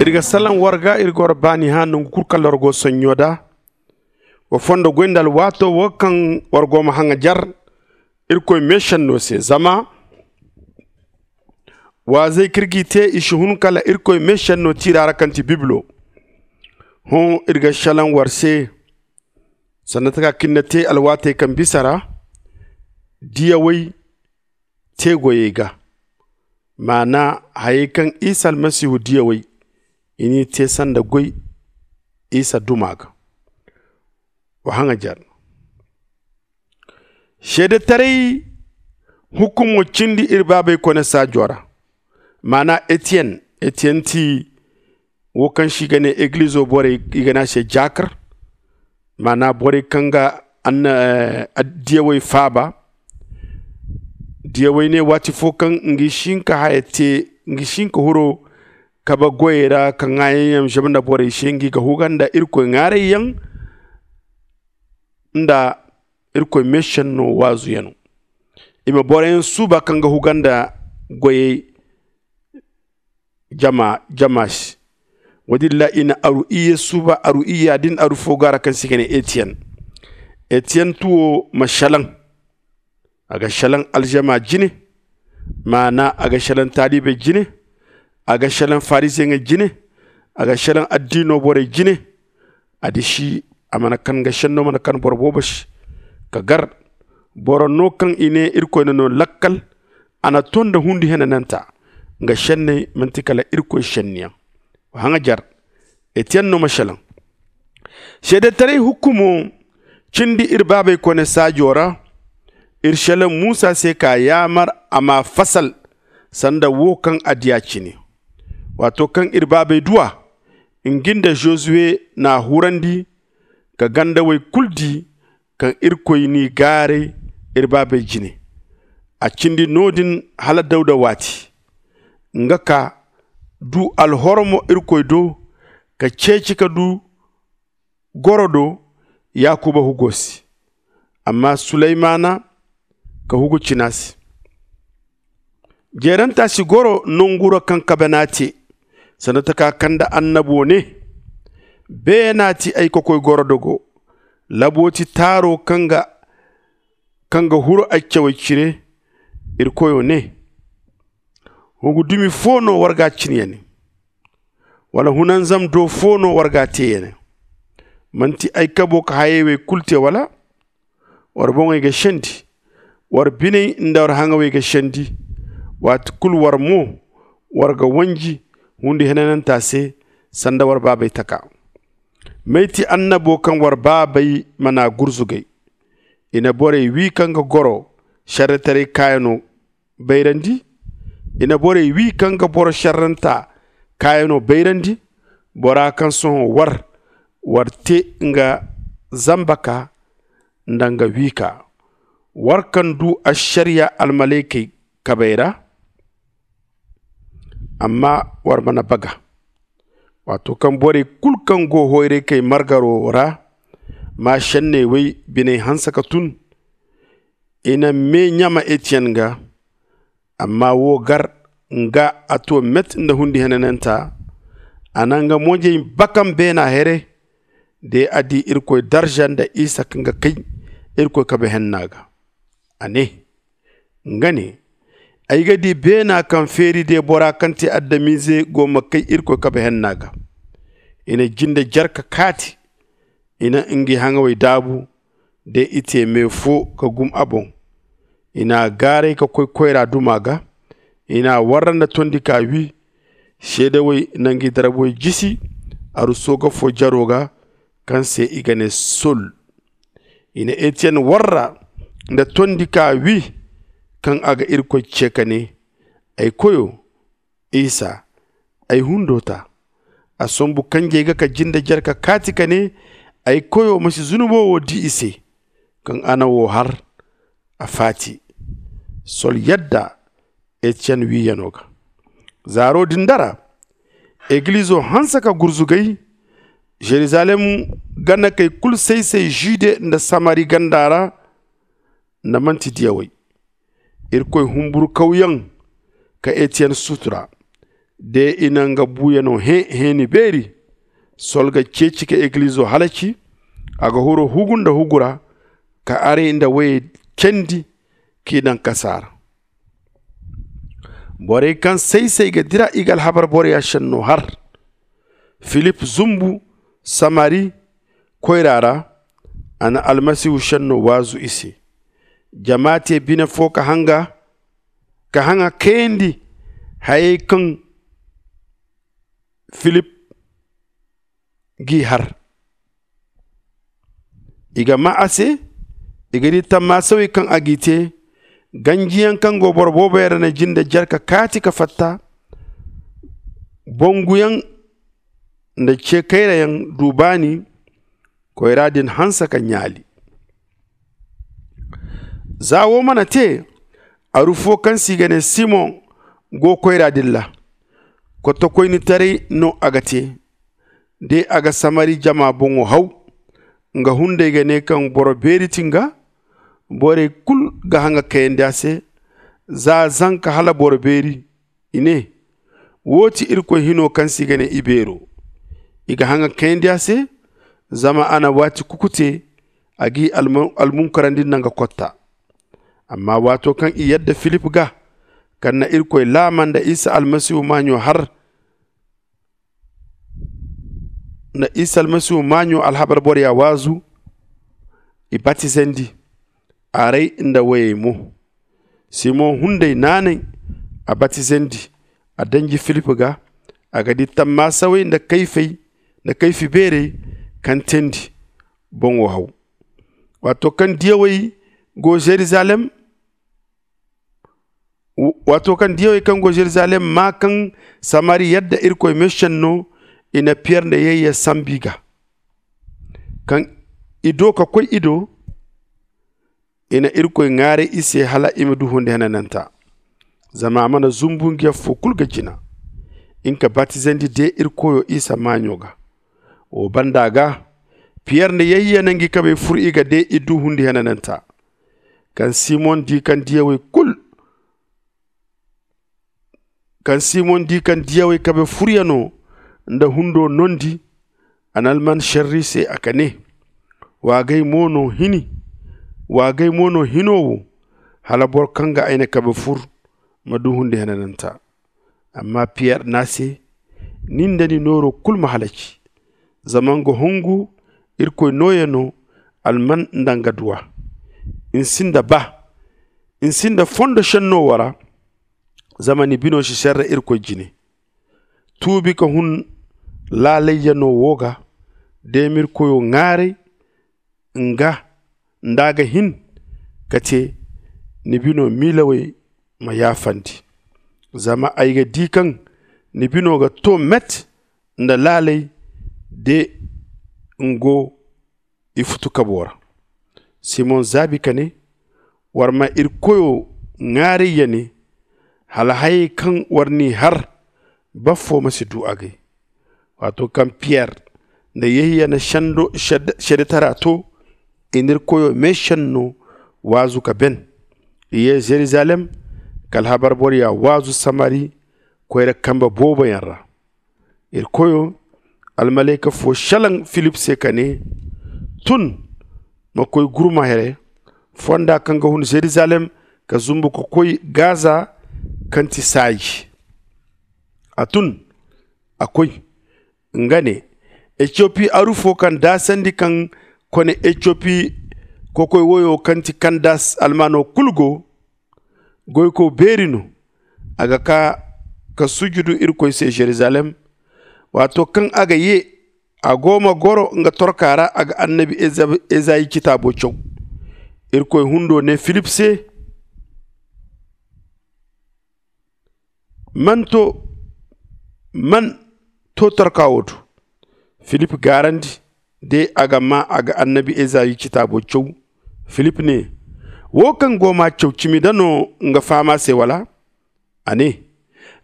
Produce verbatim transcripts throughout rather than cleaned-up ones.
Iri ga salaŋ war ga, iri ga war baani hã nangu kulu kaŋ loro go sonɲo da. Wa fondo goy nda alwaato wo kaŋ war go ma haŋajer irkoy meesenno se, zama waazey kaŋ iri g'i te i si hun kala irkoy meesenno tiira ra kaŋ ti bibilo. Hõ, iri ga salaŋ war se sanda taka kaŋ iri na te alwaatey kaŋ bisa ra, diyawey te goyey ga, maana hayey kaŋ isa almasihu diyawey i n'i te sanda goy isa duma ga. Wa haŋajer seedetaray hukumo cindi iri baabey kone saajo ra. Maana etiyen etiyen ti wo kaŋ se i ga ne egilizo borey i ga ne a se jaakar. Maana borey kaŋ ga diyawey faaba. Diyawey ne waati fo kaŋ ngi si hin ka haya te, ngi si hin ka huro kabe goyey ra ka ŋaayaŋ yaŋ zama nda borey se ngi ga huga nda irkoy ŋaarayyaŋ nda irkoy meesenno waazuyaŋo. I ma boroyaŋ suuba kaŋ ga huga nda goyey jama se. Wo- din ra i na aru iyye suuba aru iyya din aru fo go a ra kaŋ se i ga ne etiyen. Etiyen tuwo ma salaŋ. A ga salaŋ aljama jine. Maana a ga salaŋ taalibey jine. A ga salaŋ fariziyeŋey jine. A ga salaŋ addiino borey jine. A disi a mana kan ga senno mana kan boro boobo se ka gar. Boro no kaŋ i ne irkoy na no lakkal. A na to nda hundi henananta. Nga senney manti kala irkoy senniyaŋ. Wa haŋajer. Etiyen no ma salaŋ. Seedetaray hukumo cindi iri baabey kone saajo ra. Iri salaŋ musa se ka yaamar a ma fasal sanda wo kaŋ a diya cine. Waato kaŋ iri baabey du a, ngi nda zozuwe n'a hurandi ka gandawey kulu di kaŋ irkoy n'i gaaray iri baabey jine. A cindi no- din hala dawda waati. Nga ka du alhormo irkoy do ka ceeci ka du goro do yaakuba hugo se. Amma suleymana ka hugu cina se. Jeeranta si goro nangu ra kaŋ kabe n'a te. Sanda taka kaŋ nda annabo ne, beena ti ay kokoy gorodogo. Labo ti taaro kaŋ ga huru ay cawey cire. Iri koyo ne, hugu dumi fo no war ga cin ya ne? Wala hunanzam do fo no war ga te ya ne? Manti ay kabo ka hayey wey kulu te wala? War boŋey ga sendi. War biney nda war haŋawey ga sendi. Waati kulu war mo war ga wanji hundi henananta se sanda war baabey taka. May ti annabo kaŋ war baabey mana gurzugay? I na borey wi kaŋ ga goro sarretaray kaayano bayrandi. I na borey wi kaŋ ga boro sarranta kaayano bayrandi. Bora kaŋ sohõ war war te nga zamba ka nda nga wi ka. War kaŋ du ašariya almalaykey kabey ra. Amma war mana baga. Waato kaŋ borey kulu kaŋ go hoyraykey margaro ra ma senney wey biney hanse ka tun, i na me ɲama etiyen ga. Amma wo gar nga a to met nda hundi henananta. A na nga mojey bakam beena here. De a di irkoy darza nda isa kaŋ ga kay irkoy kabe henna ga. A ne, nga ne, ay ga di beena kaŋ feeri de bora kaŋ te adamize go ma kay irkoy kabe henna ga. I na jinde jarka kaati. I na ngi haŋawey daabu. De i te me fo ka gum a boŋ. I n'a gaaray ka koy koyra duma ga. I n'a warra nda tondi ka wi. Seedawey na ngi darbey jisi aruso ga fo jaro ga kaŋ se i ga ne sol. I na etiyen warra nda tondi ka wi kaŋ a ga irkoy ce ka ne, ay koyo, isa, ay hundo ta. A sombu kanjey ga ka jinde jare ka kaati ka ne, ay koyo ma si zunubo wo di i se. Kaŋ a na wo har a faati. Sol yadda etiyen wiyano ga. Zaaro din dara egilizo hanse ka gurzugay. Zerizalem ganakey kulu say-say zude nda samari ganda ra. Nda manti diyawey. Irkoy humburkawyaŋ ka etiyen sutura. De i na nga buuyano hẽ hẽeni beeri. Sol ga ceeci ka egilizo halaci. A ga huru hugu nda hugu ra ka arey nda woyey cendi k'i daŋ kasaa ra. Borey kaŋ say-say ga dira i ga alhabar boroya šenno har. Filip zumbu samari koyra ra. A na almasihu šenno waazu i se. Jama te bine fo ka haŋa kayandi hayey kaŋ filip g'i har. I ga maa a se. I ga di tammaasawey kaŋ a g'i te. Ganjiyaŋ kaŋ go boro booboyaŋ ra na jinde jare ka kaati ka fatta. Bonguyaŋ nda ce kayrayaŋ du baani. Koyra din hanse ka ɲaali. Za wo mana te, aru fo kaŋ se i ga ne simoŋ go koyra din ra. Kottokoynitaray no a ga te. De a ga samari jama boŋo haw. Nga hunday ga ne kaŋ boro beeri ti nga. Borey kulu ga haŋa kayandi a se. Za zanka hala boro beeri. I ne, wo ti irkoy hino kaŋ se i ga ne ibeero. I ga haŋa kayandi a se. Zama a na waati kuku te. A g'i almunkarandi nda nga kotta. Amma waato kaŋ i yadda filip ga, kaŋ na irkoy laama nda isa almasihu maaɲo har nda isa almasihu maaɲo alhabar boroya waazu. I batizandi, arey nda woyey mo. Simoŋ hunday naanay. A batizandi. A danji filip ga. A ga di tammaasawey nda kayfey nda kayfi beerey kaŋ teendi boŋo haw. Waato kaŋ diyawey go zerizalem waato kaŋ diyawey kaŋ go zerizalem maa kaŋ samari yadda irkoy meesenno, i na piyer nda yayya sambu i ga. Kaŋ i do ka koy i do, i na irkoy ŋaaray i se hala i ma du hundi henananta. Zama a mana zumbu nga yaŋ fo kulu ga jina. Nga batizandi de iri koyo isa maaɲo ga. Wo banda ga, piyer nda yayya na ngi kabey fur i ga de i du hundi henananta. Kaŋ simon di kaŋ diyawey kulu kaŋ simon di kaŋ diyawey kabe furyano nda hundo nondi, a na alman šerri se a ka ne, wa gay mo no hini wa gay mo no hino wo, hala boro kaŋ ga ay na kabe fur ma du hundi henananta. Amma piyer ne a se, ni nda ni nooro kulu ma halaci. Zama nga hungu irkoy nooyano, alman nda nga duwa. Ni sinda ba ni sinda fondo šenno wo ra. Zama ni bino si serre irkoy jine. Tuubi ka hun laalayyano wo ga. De ma irkoyo ŋaaray nga nda a ga hin ka te, ni bino miilawey ma yaafandi. Zama ay ga di kaŋ ni bino ga to met nda laalay de nga go i futu kabo ra. Simon zaabi ka ne, war ma iri koyo ŋaaray ya ne, hala hayey kaŋ war n'i har bafo ma si du a gay. Waato kaŋ piyer nda yehiya na seedetara to, i na iri koyo meesenno waazu ka ben. I ye zerizalem ka alhabar boroya waazu samari koyra kambe booboyaŋ ra. Iri koyo almalayka fo šelaŋ filip se ka ne, tun ma koy gurma here fonda kaŋ ga hun zerizalem ka zumbu ka koy gaza kaŋ ti saaji. A tun a koy. Nga ne, etiyopi aru fo kaŋ daasandi kaŋ kone etiyopi kokoy woyo kaŋ ti kandas almaano kulu go. Goyko beeri no. A ga kaa ka sujudu irkoy se zerizalem. Waato kaŋ a ga ye a go ma goro nga torka ra a ga annabi ezayi citaabo caw. Irkoy hundo ne filip se, man to man to torka wo do? Filip gaarandi de a ga maa a ga annabi ezayi citaabo caw. Filip ne, wo kaŋ go m'a caw cimi da no nga faham a se wala? A ne,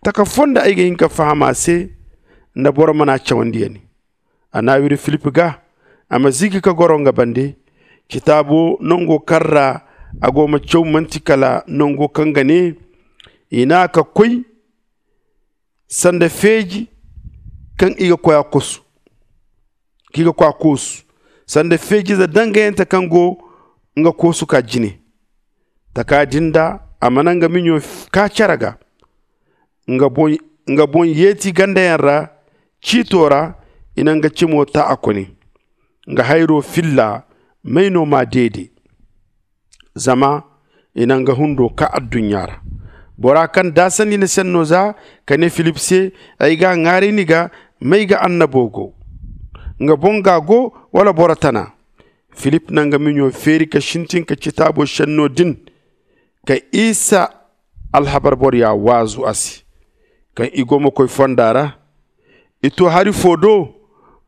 taka fonda ay ga hin ka faham a se nda boro mana cawandi ya ne. A n'a wiri filip ga a ma zigi ka goro nga bande. Citaabo nango kaŋ ra a go ma caw manti kala nango kaŋ ga ne i n'a ka koy sanda feeji kaŋ i ga koy a koosu sanda feejiize dangayante kaŋ go nga koosu ka jine. Taka din da a mana nga miɲo kaa cere ga, nga boŋ yeeti gandayaŋ ra ciito ra. I na nga cimo ta a kone. Nga hayro filla may no m'a deede? Zama i na nga hundo kaa adduɲɲa ra. Bora kaŋ daasandi na senno za ka ne filip se, ay g'a ŋwaaray ni ga, may ga annabo go? Nga boŋ ga go, wala boro tana? Filip na nga miɲo feeri ka sintin ka citaabo senno din ka isa alhabar boroya waazu a se. Kaŋ i go ma koy fonda ra, i to hari foo do.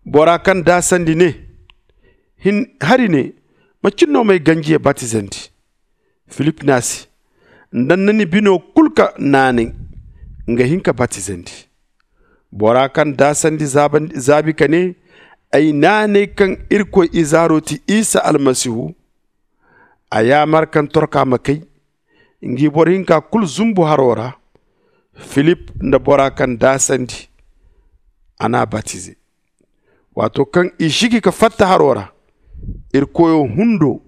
Bora kaŋ daasandi ne, hari ne, macin no m'ay ganjiye batizandi? Filip ne a se, nda ni na ni bino kul ka naanay, nga hin ka batizandi. Bora kaŋ daasandi zaabi ka ne, ay naanay kaŋ irkoy izaaro ti isa almasihu, a yaamar kaŋ torka ma kay, ngi boro hinka kul zumbu haro ra. Filip nda bora kaŋ daasandi, a n'a batize. Waato kaŋ i sigi ka fatta haro ra, irkoyo hundo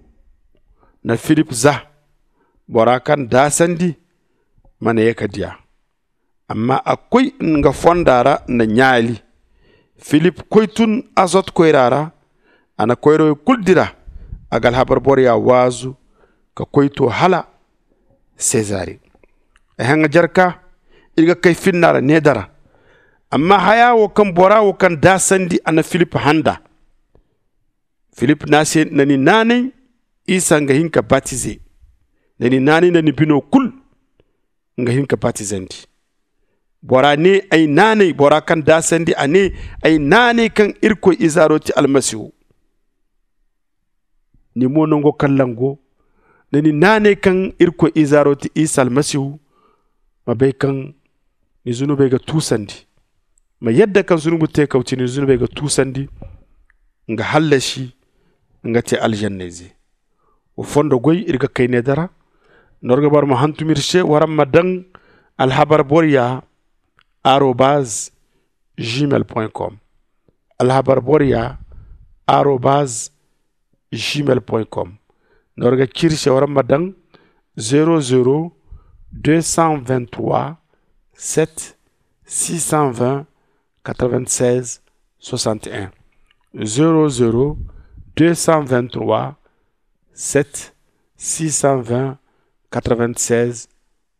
na filip za. Bora kaŋ daasandi mana ye ka di a, amma a koy nga fonda ra na ɲaali. Filip koy tun azot koyra ra. A na koyrawey kulu dira. A ga alhabar boroya waazu ka koy to hala sezare. Ay haŋajarka, iri ga kay finna ra needa ra. Amma haya wo kaŋ bora wo kaŋ daasandi a na filip handa. Filip ne a se, na ni naanay, isa nga hin ka batize. Na ni naanay nda ni bino kulu, nga hin ka batizandi. Bora ne, ay naanay bora kaŋ daasandi a ne, ay naanay kaŋ irkoy izaaro ti almasihu. Ni mo nango kaŋ lango, na ni naanay kaŋ irkoy izaaro ti isa almasihu, ma bay kaŋ ni zunubey ga tuusandi. Ma yadda kaŋ zunubu teekaw ti ni zunubey ga tuusandi, nga hallasi, nga te alzannayze. Wa fondo goy iri ga kay needa ra. Nda war ga bara ma hantum iri se, waraŋ ma daŋ alhabar boroya arobaz gmail point com. Alhabar boroya arobaz gmail point com. Nda war ga ci iri se, waraŋ ma daŋ zero zero deux cent vingt-trois sept six cent vingt quatre-vingt-seize soixante et un. Zero zero deux cent vingt-trois sept six cent vingt quatre-vingt-seize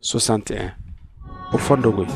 soixante et un. O fondo goy.